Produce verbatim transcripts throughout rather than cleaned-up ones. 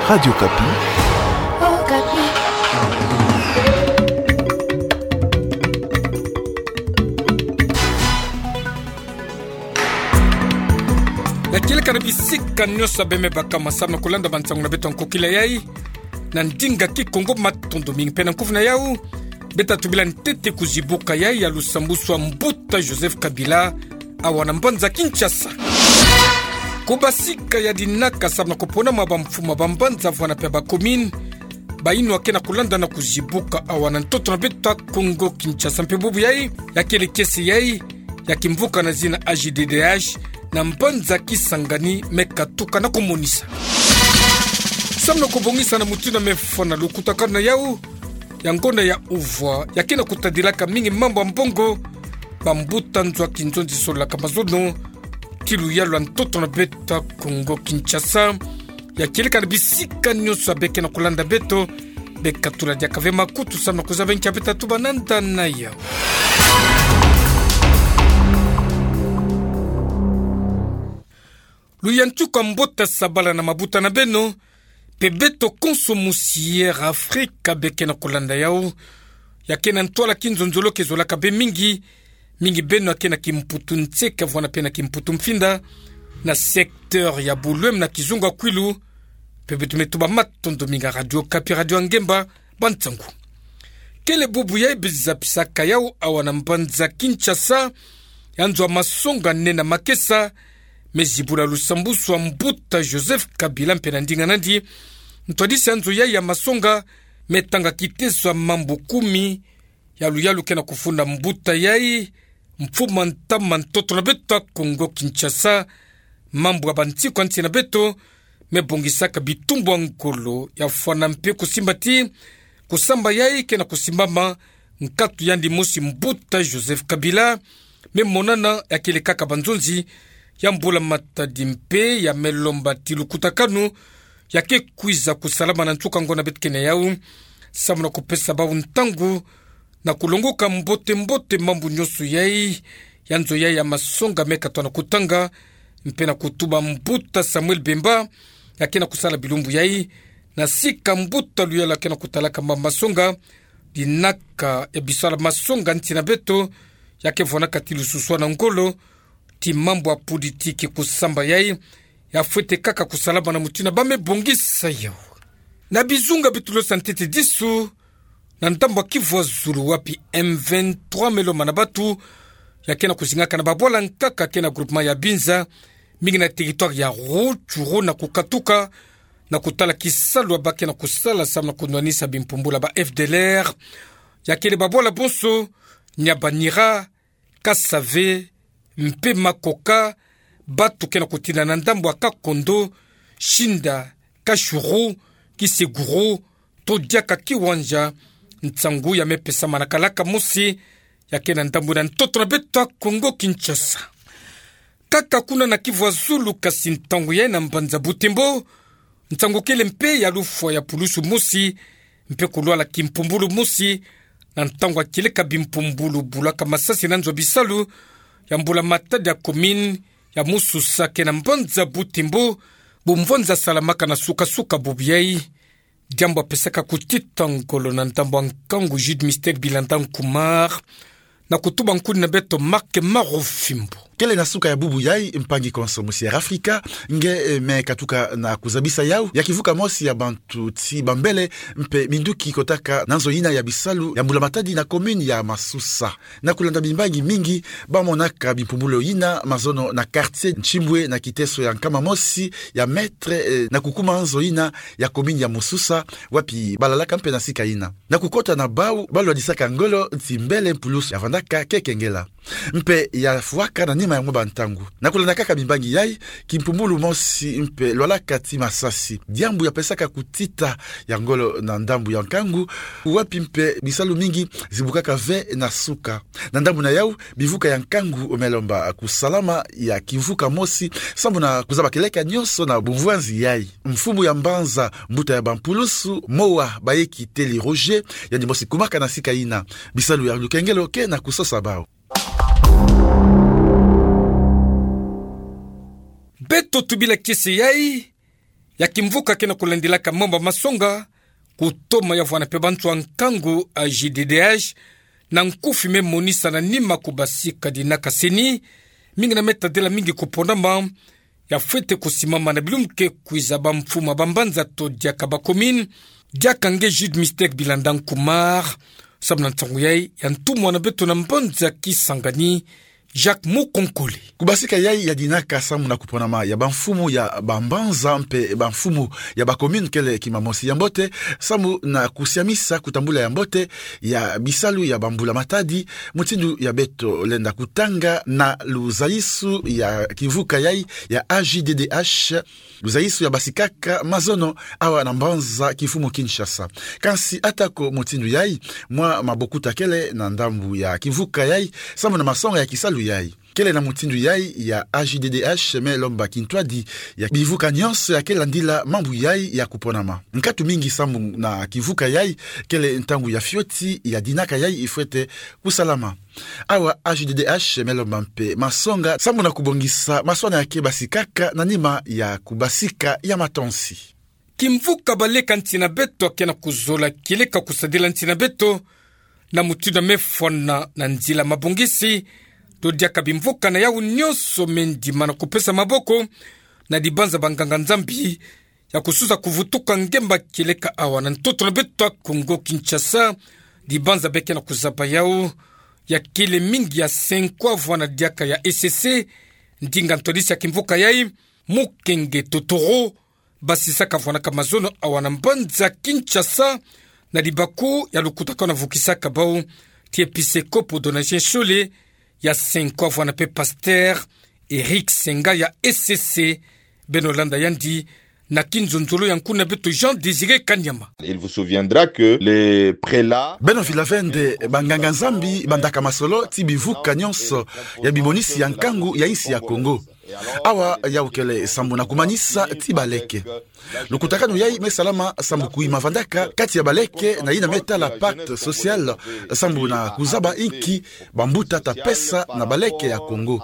Radio Okapi. Okapi. Ya kieleka na bisika nyonso beme baka masamu na kulanda bansangu na beto ya nkokila yai na ndinga Kikongo. Matondo mingi. Mpe na nkufi na yau, beta tubila ntete kuzibuka yai ya lusambusu a mbuta Joseph Kabila awa na mbanza Kinshasa. Kubasika ya dinaka samu na kuponama bamfumu a bambanza vwanda mpe ba commune, bayinwa ke na kulanda na kuzibuka awa na ntoto na beto ya Kongo Kinshasa. Mpe bubu yai, ya kieleka kiese yai ya kimvuka na zina A J D D H na mbanza Kisangani me katuka na kumonisa. Samu na kubongisa na mutindu ya mefwa na lukutakanu na yau, ya ngonda ya uvwa, ya ke na kutadilaka mingi mambu ya mbongo, bambuta nzo a kinzonzi sololaka mazono, ti luyalu ya ntoto na beto ya Kongo Kinshasa, ya kieleka na bisika nyonso ya beke na kulanda beto, beka tula diaka ve makutu samu na kuzaba nkia beta tuba nanda na yau. Luyantika mbote, sabala na mabuta na beno, mpe beto konso musi Air Afrika beke na kulanda yau, ya ke na ntwala kinzonzolo ke zolaka be mingi, mingi beno ya ke na kimputu nseke vwanda mpe na kimputu mfinda, na secteur ya Boulogne na kizunga kwilu, mpe beto me tuba matondo mingi a Radio Okapi, radio ya ngemba, bansangu. Kele bubu yai beza bisaka yau awa na mbanza Kinshasa, ya nzo a masonga nene makesa, me zibula lusambusu a mbuta Joseph Kabila mpe na ndinga nandi, ntwadisi a nzo yai ya masonga, me tanga kiteso ya mambu kumi, ya luyalu ke na kufunda mbuta yai, mfumu a ntama ntoto na beto ya Kongo Kinshasa, mambu ya bansiku ya nsi na beto, me bongisaka bitumbu ya ngolo, ya fwana mpe kusimba ti kusamba yai ke na kusimbama, nkatu yandi mosi mbuta Joseph Kabila, me monana ya kieleka kaka banzonzi ya mbula matadi mpe ya me lomba ti lukutakanu ya ke kwiza kusalama na nsuka ngonda beto ke na yau, samu na kupesa bau ntangu na kulongoka mbote-mbote mambu nyonso yai, ya nzo yai ya masonga me katwa na kutanga, mpe na kutuba mbuta Samuel Bemba, ya ke na kusala bilumbu yai, na sika mbuta luyalu ya ke na kutalaka mambu masonga, dinaka ya bisala masonga nsi na beto, ya ke vwanaka ti lususwa na ngolo, ti mambu ya politiki kusamba yai, ya fwete kaka kusalama na mutindu ba me bongisa yau. Na bizunga beto losa ntete disu, na ndambu ya Kivu ya zulu wapi M vingt-trois me lomba na batu, ya ke na kuzingaka na babwala nkaka ke na groupement ya Binza, mingi na territoire ya Rutshuru na kukatuka, na kutala kisalu ya ba ke na kusala samu na kunwanisa bimpumbulu ya ba F D L R, ya kele babwala bonso, Nyabanira, Kasave, mpe Makoka, batu ke na kutinda na ndambu ya Kakondo, Shinda, Kashuru, Kiseguru, to diaka Kiwanja, nsangu ya me pesama na kalaka mosi, ya ke na ndambu na ntoto na beto ya Kongo Kinshasa. Kaka kuna na Kivu ya zulu kasi ntangu yai na mbanza Butembo, nsangu kele mpe ya lufwa ya pulusu mosi, mpe kulwala kimpumbulu mosi, na ntangu ya kieleka bimpumbulu bulaka masasi na nzo ya bisalu, ya mbula matadi ya commune ya Mususa ke na mbanza Butembo, bumvwanza salamaka na suka-suka bubu yai. Diambu ya pesaka kutita ngolo na ndambu ya nkangu Jude Mystère Bilanda Nkumar, na kutuba nkuni na beto Marc Marofimbo. Kele na suka ya bubu yai, mpangi konso musi Air Afrika, nge, eh, me katuka na kuzabisa yau ya kivuka mosi ya bantu ti bambele mpe minduki kotaka na nzo yina ya bisalu ya mbula matadi na commune ya Mususa. Na kulanda bimbangi mingi, ba monaka bimpumbulu yina mazono na quartier Ntsimbwe na kiteso ya nkama mosi ya mètre, eh, na kukuma nzo yina ya commune ya Mususa, wapi balalaka mpe na sika yina. Na kukota na bau, balwadisaka ngolo ti mbele mpulusu ya vandaka keke ngela. Mpe ya fwaka na nima ya mwa bantangu. Na kulanda kaka bimbangi yai, kimpumbulu mosi mpe lwalaka ti masasi. Diambu ya pesaka kutita ya ngolo na ndambu ya nkangu, wapi mpe bisalu mingi zibukaka ve na suka. Na ndambu na yau, bivuka ya nkangu me lomba kusalama ya kivuka mosi, sambu na kuzaba kieleka nyonso na bumvwanzi yai. Mfumu ya mbanza, mbuta ya bampulusu, Mowa Bayekiteli Roger, yandi mosi kumaka na sika yina. Bisalu ya lukengelo ke na kusosa bau. Beto tubila kiese yai, ya kimvuka ke na kulandilaka mambu ma masonga, kutoma ya vwanda mpe bantu ya nkangu A J D D H, na nkufi me monisa na nima kubasika dinaka seni, mingi na me tadila mingi kuponama, ya fwete kusimama na bilumbu ke kwiza, bamfumu ya bambanza to diaka bacommune, diaka nge Jude Mystère Bilanda Nkumar, samu na nsangu yai ya ntumwa na beto na mbanza Kisangani, Jacques Mukonkole. Kubasika yai ya dinaka samu na kuponama ya bamfumu ya bambanza mpe bamfumu ya bacommune kele kima mosi ya mbote, samu na kusiamisa kutambula ya mbote ya bisalu ya bambula-matadi, mutindu ya beto lenda kutanga na luzayisu ya kimvuka yai ya A J D D H, luzayisu ya basikaka mazono awa na mbanza kimfumu Kinshasa. Kansi atako mutindu yai, mwa mabokuta kele na ndambu ya kimvuka yai, samu na masonga ya kisalu yai. Kele na mutindu yai ya A J D D H me lomba kintwadi ya bivuka nyonso ya ke landila mambu yai ya kuponama. Nkatu mingi samu na kimvuka yai, kele ntangu ya fioti ya dinaka yai ifwete kusalama. Awa A J D D H me lomba mpe masonga samu na kubongisa maswana ya ke basikaka na nima ya kubasika ya matonsi. Kimvuka Baleka Nsi na Beto ya ke na kuzola kieleka kusadila nsi na beto na mutindu ya me fwana na nzila mabongisi, to diaka bimvuka na yau nyonso me ndima na kupesa maboko na dibanza banganga-Nzambi ya kusosa kuvutuka ngemba kieleka awa na ntoto na beto ya Kongo Kinshasa, dibanza be ke na kuzaba yau ya kele mingi ya cinq ans vwanda diaka ya E C C, ndinga ntwadisi ya kimvuka yai, Mukenge Totoro, basisaka vwanaka mazono awa na mbanza Kinshasa, na libaku ya lukutakanu avukisaka bau ti episekopo Donatien Shole, ya cinq ans vwanda mpe pasteur Eric Senga ya E C C. Beno landa yandi na kinzonzolo ya nkuna beto Jean Désiré Kanyama. Il vous souviendra que les prélats... Beno fila ve nde banganga-Nzambi bandaka masolo ti bivuka nyonso ya bimonisi ya nkangu ya insi ya Kongo. Awa yau kele sambu na kumanisa ti baleke. Lukutakanu yai me salama sambu kuyima vandaka kati ya baleke na yina me tala pacte social, sambu na kuzaba inki bambuta ta pesa na baleke ya Kongo.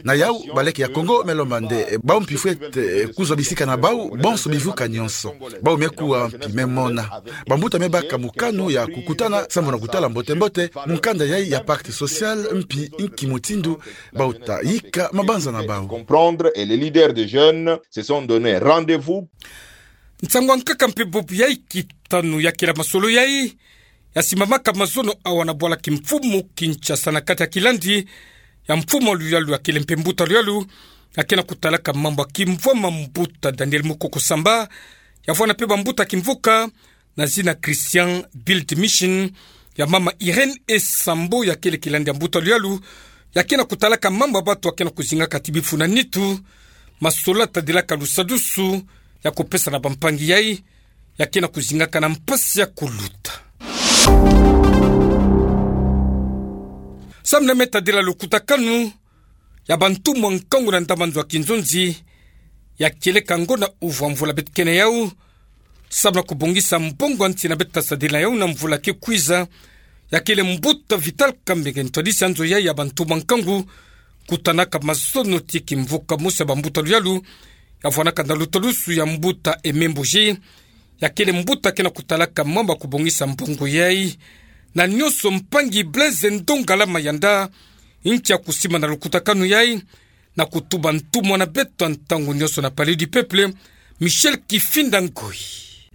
Na yau, baleke ya Kongo me lomba nde bau mpi fwete kuzwa bisika na bau bonso bivuka nyonso. Bau me kuwa mpi me mona. Bambuta me baka mokano ya kukutana sambu na kutala mbote-mbote mukanda yai ya pacte social, mpi inki mutindu bau ta yika mabanza na bau. Comprendre, et les leaders des jeunes se sont donné rendez-vous. Nsangu ya nkaka mpe bubu yai kitanu ya kila masolo yai ya simbamaka mazono awa na bwala kimfumu Kinshasa na kati ya kilandi ya mfumu ya luyalu ya kele mpe mbuta luyalu ya ke na kutalaka mambu ya kimvwama, mbuta Daniel Mukoko Samba, ya vwanda mpe bambuta kimvuka na zina Christian Build Mission, ya mama Irène Esambo ya kele kilandi ya mbuta luyalu ya ke na kutalaka mambu ya batu ya ke na kuzingaka ti bifu na nitu, masolo ya tadilaka lusadusu ya kupesa na bampangi yai ya ke na kuzingaka na mpasi ya kuluta. Samu na me tadila lukutakanu ya bantumwa nkangu na ndambu ya nzo ya kinzonzi ya kieleka ngonda uvwa mvula beto ke na yau, samu na kubongisa mbongo ya nsi na beto ta sadila yau na mvula ke kwiza, ya kele mbuta Vital Kamerhe, ntwadisi ya nzo yai ya bantumwa nkangu, kutanaka mazono ti kimvuka mosi ya bambuta luyalu, ya vwanaka na lusadusu ya mbuta Aimé Mboji, ya kele mbuta ke na kutalaka mambu ya kubongisa mbongo yai. Na nyonso, mpangi Blaise Ndongala Mayanda, nki ya kusimba na lukutakanu yai, na kutuba ntumwa na beto ya ntangu nyonso na Palais du Peuple, Michel Kifinda Ngoi.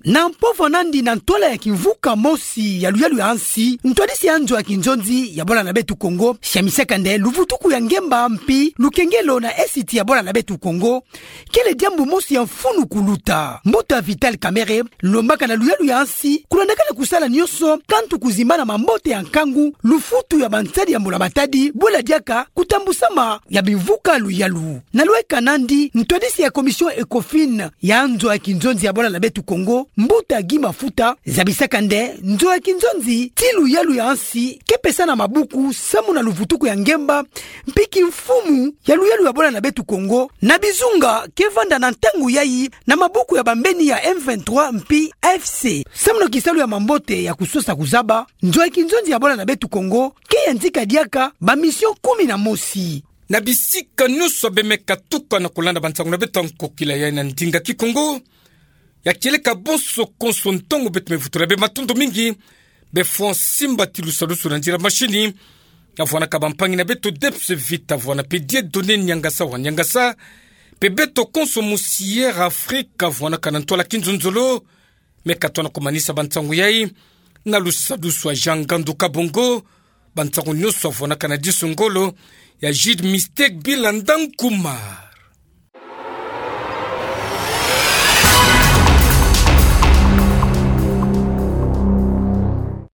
Na mpova nandi na ntwala ya kimvuka mosi ya luyalu ya nsi, ntwadisi ya nzo ya kinzonzi ya bwala na beto Kongo, siamisaka nde luvutuku ya ngemba mpi lukengelo na esiti ya bwala na beto Kongo, kele diambu mosi ya mfunu kuluta. Mbuta Vital Kamerhe lombaka na luyalu ya nsi kulandakana kusala nyonso kantu kuzimbana mambote ya nkangu, lufutu ya bansadi ya mbula matadi, bwela diaka kutambusama ya bimvuka luyalu. Na lweka nandi, ntwadisi ya Commission Ecofin ya nzo ya kinzonzi ya bwala na beto Kongo, mbuta Guy Mafuta, zabisaka nde nzo ya kinzonzi ti luyalu ya nsi ke pesa na mabuku samu na luvutuku ya ngemba, mpi kimfumu ya luyalu ya bwala na beto Kongo, na bizunga ke vanda na ntangu yai na mabuku ya bambeni ya M vingt-trois mpi A F C. Samu na kisalu ya mambote ya kusosa kuzaba, nzo ya kinzonzi ya bwala na beto Kongo ke yantika diaka ba mission kumi na mosi. Na bisika nyonso beno me katuka na kulanda bansangu na beto ya nkokila yai na ndinga Kikongo, Ya kieleka bonso konso ntongo beto mevutu laba, matondo mingi. Be fwa simba tilu salusu na nzila mashini. Ya vuana ka bampangi na beto Debs Vita, vuana pe Dieudonné Niangasa wa Niangasa. Pe beto konso mu Sierra Africa, vuana ka na ntwala kinzonzolo. Me ka tona komanisa bansangu yai na lusadusu a Jean Ngandu Kabongo. Bansangu nyonso vuana ka na diso ngolo ya Jude Mistake Bilanda Nkuma.